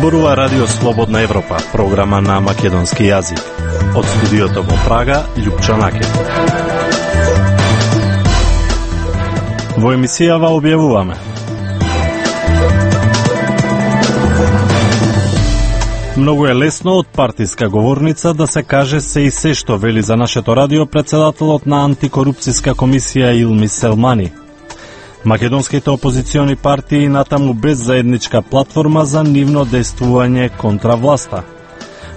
Зборува Радио Слободна Европа, програма на македонски јазик. Од студиото во Прага, Љупчо Накев. Во емисијава објавуваме: многу е лесно од партиска говорница да се каже се и се што, вели за нашето радио председателот на антикорупцијска комисија Илми Селмани. Македонските опозициони партии натаму без заедничка платформа за нивно действување контра власта.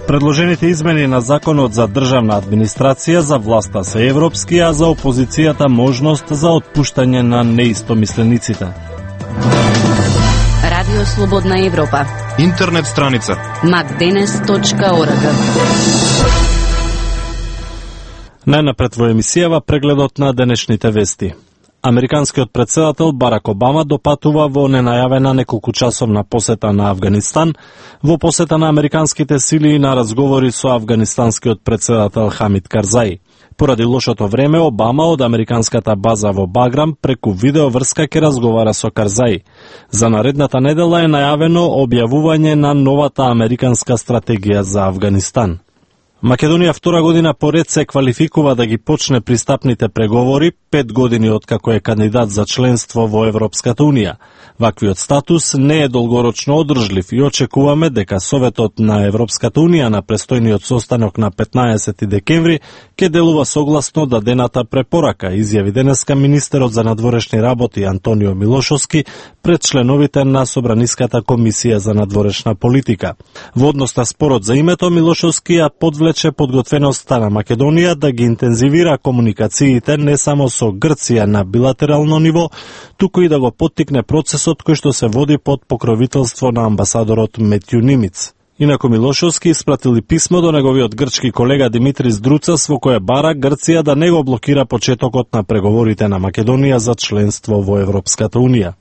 Предложените измени на Законот за државна администрација за власта се европски, а за опозицијата можност за отпуштање на неистомислениците. Радио Слободна Европа. Интернет страница macdenes.org. Најнапред во емисијава прегледот на денешните вести. Американскиот председател Барак Обама допатува во ненајавена неколкучасовна посета на Авганистан, во посета на американските сили и на разговори со афганистанскиот председател Хамид Карзаи. Поради лошото време, Обама од американската база во Баграм преку видеоврска ќе разговара со Карзаи. За наредната недела е најавено објавување на новата американска стратегија за Авганистан. Македонија втора година поред се квалификува да ги почне пристапните преговори 5 години откако е кандидат за членство во Европската Унија. Ваквиот статус не е долгорочно одржлив и очекуваме дека Советот на Европската Унија на престојниот состанок на 15 декември ќе делува согласно дадената препорака, изјави денеска министерот за надворешни работи Антонио Милошовски пред членовите на Собраниската комисија за надворешна политика. Во однос на спорот за името, Милошовски ја подвлече подготвеноста на Македонија да ги интензивира комуникациите не само со Грција на билатерално ниво, туку и да го поттикне процесот кој што се води под покровителство на амбасадорот Метју Нимиц. Инаку Милошовски испратили писмо до неговиот грчки колега Димитрис Друцас во кое бара Грција да не го блокира почетокот на преговорите на Македонија за членство во Европската Унија.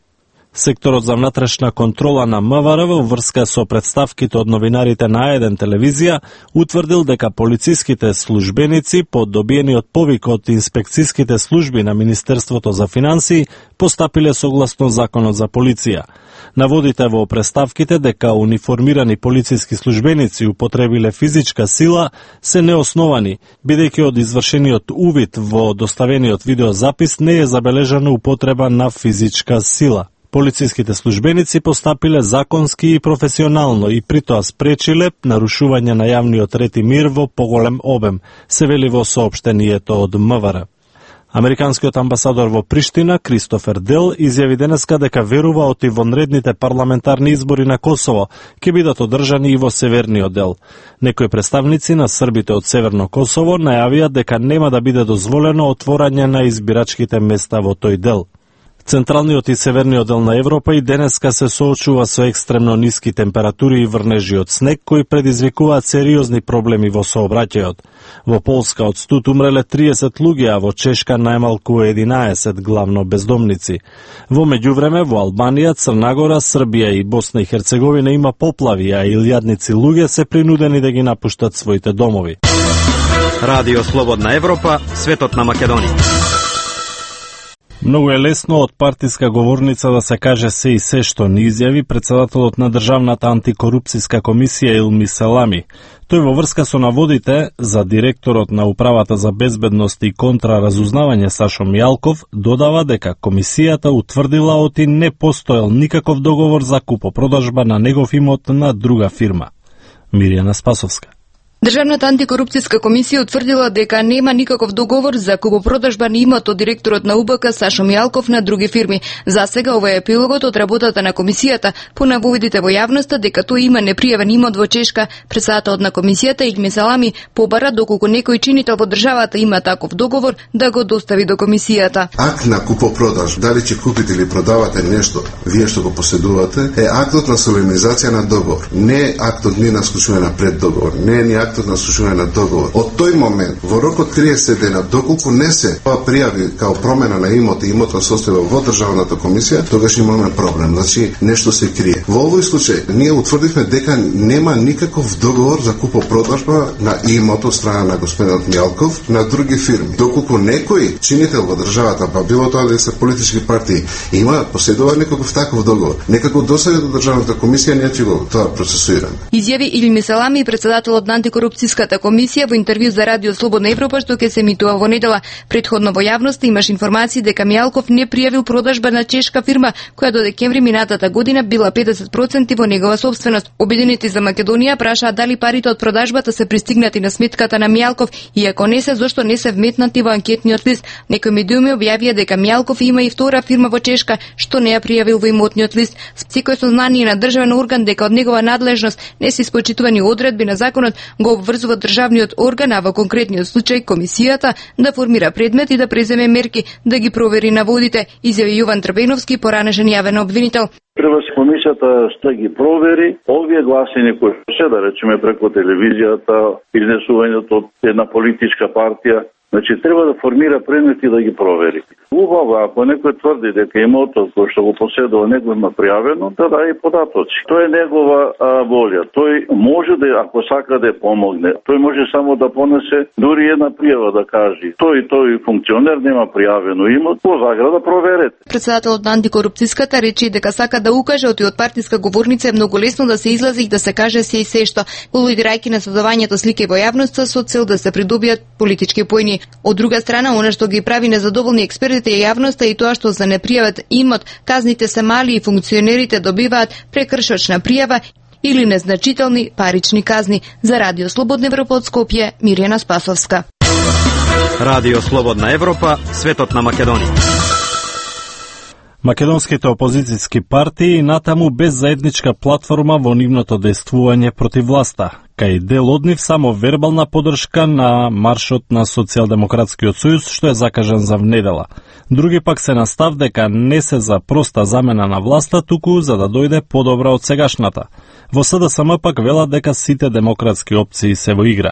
Секторот за внатрешна контрола на МВР во врска со представките од новинарите на А1 телевизија утврдил дека полициските службеници по добиениот повик од инспекцијските служби на Министерството за финансии постапиле согласно Законот за полиција. Наводите во представките дека униформирани полициски службеници употребиле физичка сила се неосновани, бидејќи од извршениот увид во доставениот видеозапис не е забележана употреба на физичка сила. Полициските службеници постапиле законски и професионално и при тоа спречиле нарушување на јавниот ред и мир во поголем обем, се вели во соопштението од МВР. Американскиот амбасадор во Приштина, Кристофер Дел, изјави денеска дека верува оти вонредните парламентарни избори на Косово ќе бидат одржани и во северниот дел. Некои представници на србите од Северно Косово најавија дека нема да биде дозволено отворање на избирачките места во тој дел. Централниот и северниот дел на Европа и денеска се соочува со екстремно ниски температури и врнежи од снег кои предизвикуваат сериозни проблеми во сообраќајот. Во Полска од студ умреле 30 луѓе, а во Чешка најмалку 11 главно бездомници. Во меѓувреме во Албанија, Црна Гора, Србија и Босна и Херцеговина има поплави, а илјадници луѓе се принудени да ги напуштат своите домови. Радио Слободна Европа, светот на Македонија. Многу е лесно од партиска говорница да се каже се и се што, ни изјави председателот на Државната антикорупцијска комисија Илми Селами. Тој во врска со наводите за директорот на Управата за безбедност и контраразузнавање Сашо Мијалков додава дека комисијата утврдила оти не постоел никаков договор за купопродажба на негов имот на друга фирма. Мирјана Спасовска. Државната антикорупцијска комисија утврдила дека нема никаков договор за купопродажба на имот од директорот на УБК Сашо Мијалков на други фирми. За сега ова е епилогот од работата на комисијата по наводите во јавноста дека тој има непријавен имот во Чешка. Председателот на комисијата Илми Селами побара доколку некој чинител во државата има таков договор да го достави до комисијата. Акт на купопродаж, дали ќе купите или продавате нешто, вие што го поседувате, е актот на солемнизација на договор. Не актот ни на склучување на преддоговор, не е актот на склучување на договор. Од тој момент, во рок од 30 дена, доколку не се пријави као промена на имот и имотна состојба во државната комисија, тогаш имаме проблем. Значи, нешто се крие. Во овој случај ние утврдивме дека нема никаков договор за купопродажба на имот од страна на господинот Мјалков на други фирми. Доколку некој чинител во државата, па било тоа да се политички партии, поседува некаков таков договор, некако досега до државната комисија не ќе го тоа процесуираме. Изјави Илми Салами, председателот на антикорупцијската комисија во интервју за Радио Слободна Европа што ќе се емитува во недела. Претходно во јавноста имаш информации дека Мјалков не пријавил продажба на чешка фирма која до декември минатата година била 50% во негова собственост. Обединети за Македонија прашаат дали парите од продажбата се пристигнати на сметката на Мјалков и ако не се, зошто не се вметнати во анкетниот лист. Некои медиуми објавија дека Мјалков има и втора фирма во Чешка што не ја пријавил во имотниот лист. Секој сознание на државен орган дека од негова надлежност не се испочитувани одредби на законот го обврзува државниот орган, а во конкретниот случај комисијата да формира предмет и да преземе мерки да ги провери наводите, изјави Јован Трбеновски, поранешен јавен обвинител. Треба се комисијата што ги провери овие гласини кои се да речеме преку телевизијата, изнесувањето од една политичка партија. Значи, треба да формира предмети да ги провери. Убаво, ако некој тврди дека имотот кој што го поседува него има пријавено, да даде податоци. Тоа е негова волја. Тој може да, ако сака да помогне, тој може само да понесе дури една пријава да каже тој функционер нема пријавено имот, по заграда проверете. Председателот на антикорупцијската рече дека сака да укаже од партиска говорница е многу лесно да се излази и да се каже се и се што, алудирајќи на создавањето слики во јавноста со цел да се придобијат политички поени. Од друга страна, она што ги прави незадоволни експертите и јавноста и тоа што за непријавен имот казните се мали и функционерите добиваат прекршочна пријава или незначителни парични казни. За Радио Слободна Европа од Скопје, Мирјана Спасовска. Радио Слободна Европа, светот на Македонија. Македонските опозицијски партии натаму без заедничка платформа во нивното действување против власта, кај дел од нив само вербална поддршка на маршот на Социјалдемократскиот сојуз што е закажан за внедела. Други пак се настав дека не се за проста замена на власта, туку за да дојде подобра од сегашната. Во СДСМ пак велат дека сите демократски опции се во игра.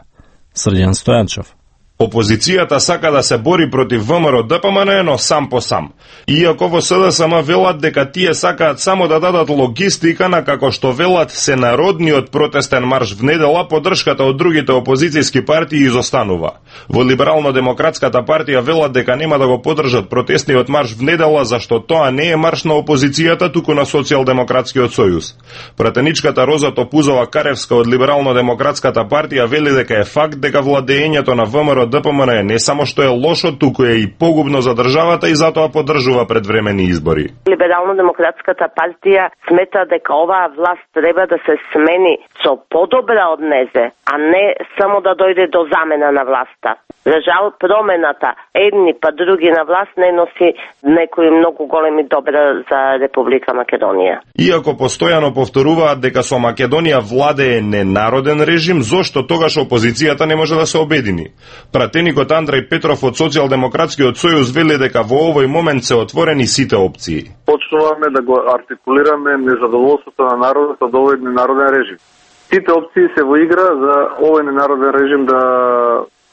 Срđan Стојанчов. Опозицијата сака да се бори против ВМРО ДПМН, но сам по сам. Иако во СДСМ велат дека тие сакаат само да дадат логистика на како што велат се народниот протестен марш внедела, поддршката од другите опозицијски партии изостанува. Во Либерално-демократската партија велат дека нема да го поддржат протестниот марш внедела, зашто тоа не е марш на опозицијата, туку на Социјалдемократскиот сојуз. Пратеничката Роза Топузова Каревска од Либерално-демократската партија вели дека е факт дека владеењето на ВМРО ДПМН не само што е лошо, туку е и погубно за државата и затоа поддржува предвремени избори. Либерално-демократската партија смета дека оваа власт треба да се смени со подобра од незе, а не само да дојде до замена на власта. За жал, промената едни па други на власт не носи некои многу големи добра за Република Македонија. Иако постојано повторуваат дека со Македонија владее ненароден режим, зошто тогаш опозицијата не може да се обедини? Пратеникот Андреј Петров од Социјалдемократскиот сојуз вели дека во овој момент се отворени сите опции. Почнуваме да го артикулираме незадоволството на народот од овој ненароден режим. Сите опции се во игра за овој ненароден режим да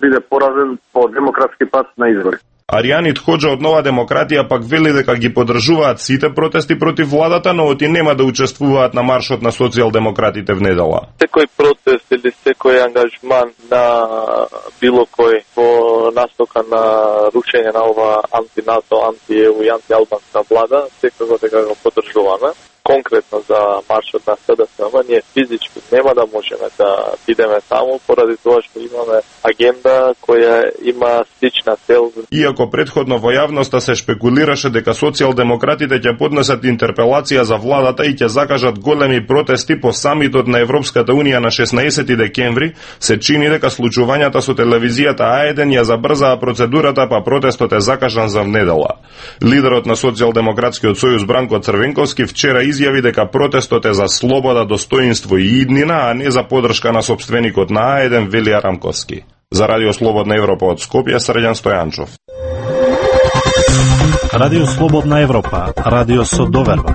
биде поразен по демократски пат на избори. Аријанит Хоџа од Нова демократија пак вели дека ги поддржуваат сите протести против владата, но оти нема да учествуваат на маршот на социјалдемократите внедела. Секој протест или секој ангажман на било кој во настока на рушење на ова анти-НАТО, анти-ЕУ и анти-албанска влада, секако дека го поддржуваме. Конкретно за маршот на СДСМ, ние физички нема да можеме да бидеме таму, поради тоа што имаме агенда која има слична цел. Иако предходно во јавноста се шпекулираше дека социјалдемократите ќе поднесат интерпелација за владата и ќе закажат големи протести по самитот на Европската Унија на 16 декември, се чини дека случувањата со телевизијата А1 ја забрзаа процедурата, па протестот е закажан за внедела. Лидерот на Социјалдемократскиот сојуз Бранко Црвенковски вчера изјави дека протестот е за слобода, достоинство и иднина, а не за поддршка на сопственикот на А1 Велија Рамковски. За Радио Слободна Европа од Скопје, Срđan Стојанчов. Радио Слободна Европа, радио со доверба.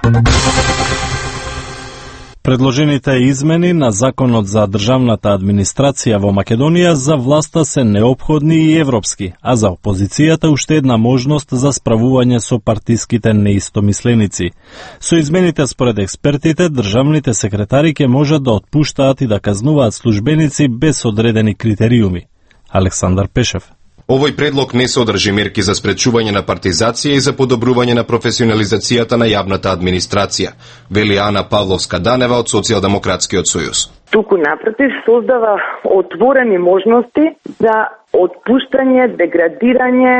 Предложените измени на Законот за државната администрација во Македонија за власта се неопходни и европски, а за опозицијата уште една можност за справување со партиските неистомисленици. Со измените според експертите, државните секретари ќе можат да отпуштаат и да казнуваат службеници без одредени критериуми. Александар Пешев. Овој предлог не содржи мерки за спречување на партизација и за подобрување на професионализацијата на јавната администрација, вели Ана Павловска-Данева од Социјалдемократскиот сојуз. Туку напротив создава отворени можности за отпуштање, деградирање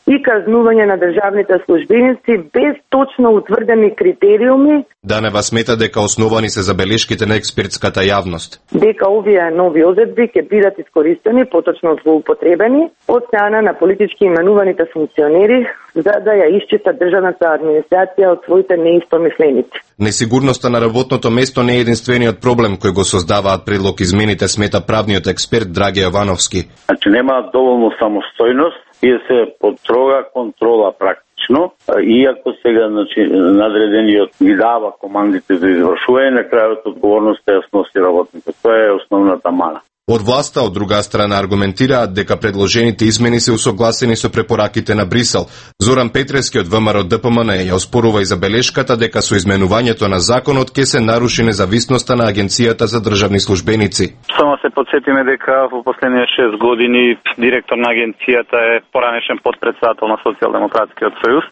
и казнување на државните службеници без точно утврдени критериуми. Данева смета дека основани се забелешките на експертската јавност. Дека овие нови одредби ќе бидат искористени, поточно злоупотребени, од страна на политички именуваните функционери за да ја исчистат државната администрација од своите неистомисленици. Несигурноста на работното место не е единствениот проблем кој го создаваат предлог измените, смета правниот експерт Драге Јовановски. Значи нема доволно самостојност и се под строга контрола практично, иако сега надредениот ги дава командите за извршување, на крајот одговорноста ја сноси работникот. Тоа е основната мана. Од власта, од друга страна, аргументираат дека предложените измени се усогласени со препораките на Брисел. Зоран Петрески од ВМРО ДПМН ја оспорува и забелешката дека со изменувањето на законот ќе се наруши независноста на Агенцијата за државни службеници. Само се подсетиме дека во последните 6 години директор на агенцијата е поранешен подпредседател на Социјалдемократскиот сојуз,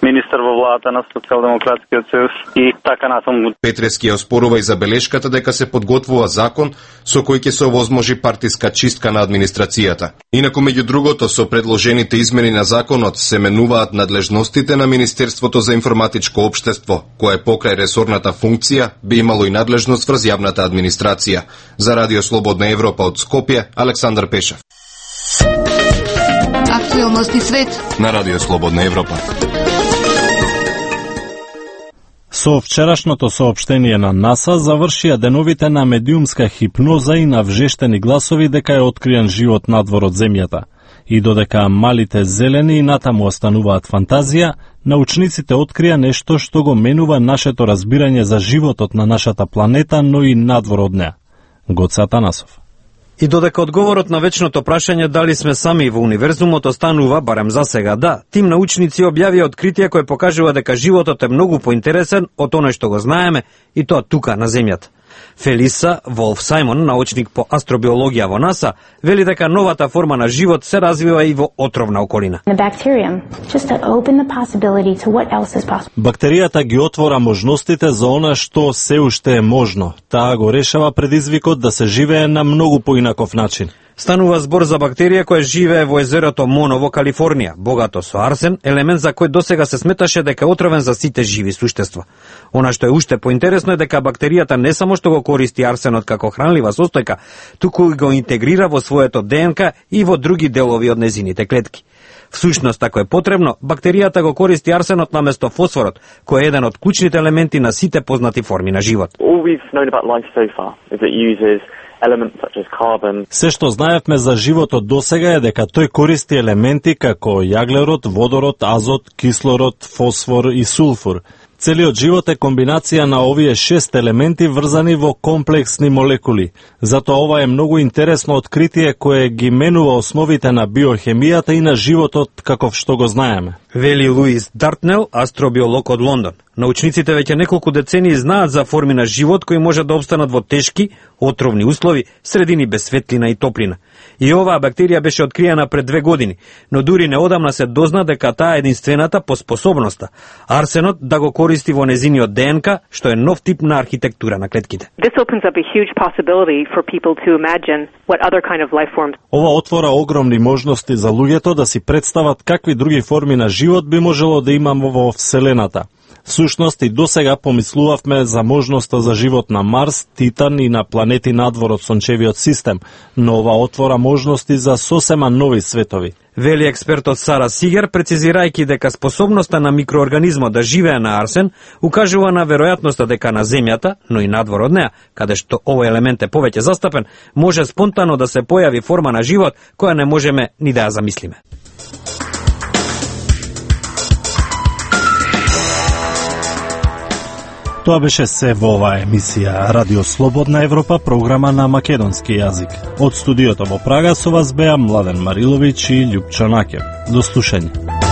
министер во владата на Социјалдемократскиот сојуз и така натаму. Петрески ја оспорува и забелешката дека се подготвува закон со кој ќе се овозможи партиска чистка на администрацијата. Инаку, меѓу другото, со предложените измени на законот се менуваат надлежностите на Министерството за информатичко општество, кое покрај ресорната функција би имало и надлежност врз јавната администрација. За Радио Слободна Европа од Скопје, Александар Пешев. Актуелности свет на Радио Слободна Европа. Со вчерашното соопштение на НАСА завршија деновите на медиумска хипноза и на вжештени гласови дека е откриен живот надвор од Земјата. И додека малите зелени и натаму остануваат фантазија, научниците открија нешто што го менува нашето разбирање за животот на нашата планета, но и надвор од неа. Гоце Атанасов. И додека одговорот на вечното прашање дали сме сами во универзумот останува, барем за сега да, тим научници објавија откритие кое покажува дека животот е многу поинтересен од оној што го знаеме и тоа тука на Земјата. Фелиса Волф-Сајмон, научник по астробиологија во НАСА, вели дека новата форма на живот се развива и во отровна околина. Бактеријата ги отвора можностите за она што се уште е можно. Таа го решава предизвикот да се живее на многу поинаков начин. Станува збор за бактерија која живее во езерото Моно во Калифорнија, богато со арсен, елемент за кој досега се сметаше дека е отровен за сите живи суштества. Она што е уште поинтересно е дека бактеријата не само што го користи арсенот како хранлива состојка, туку и го интегрира во своето ДНК и во други делови од незините клетки. Всушност, ако е потребно, бактеријата го користи арсенот наместо фосфорот, кој е еден од клучните елементи на сите познати форми на живот. Се што знаевме за животот досега е дека тој користи елементи како јаглерод, водород, азот, кислород, фосфор и сулфур. Целиот живот е комбинација на овие 6 елементи врзани во комплексни молекули. Затоа ова е многу интересно откритие кое ги менува основите на биохемијата и на животот каков што го знаеме. Вели Луис Дартнел, астробиолог од Лондон. Научниците веќе неколку децении знаат за форми на живот кои може да обстанат во тешки, отровни услови, средини без светлина и топлина. И оваа бактерија беше откриена пред 2 години, но дури неодамна се дозна дека таа е единствената по способноста арсенот да го користи во незиниот ДНК, што е нов тип на архитектура на клетките. Ова отвора огромни можности за луѓето да си представат какви други форми на живот би можело да имаме во Вселената. Всушност и досега помислувавме за можноста за живот на Марс, Титан и на планети надвор од сончевиот систем, но ова отвора можности за сосема нови светови. Вели експертот Сара Сигер, прецизирајќи дека способноста на микроорганизмот да живее на арсен укажува на веројатноста дека на Земјата, но и надвор од неа, каде што овој елемент е повеќе застапен, може спонтано да се појави форма на живот која не можеме ни да ја замислиме. Тоа беше се во оваа емисија Радио Слободна Европа, програма на македонски јазик. Од студиото во Прага со вас беа Младен Мариловиќ и Љупчо Накев. До слушање.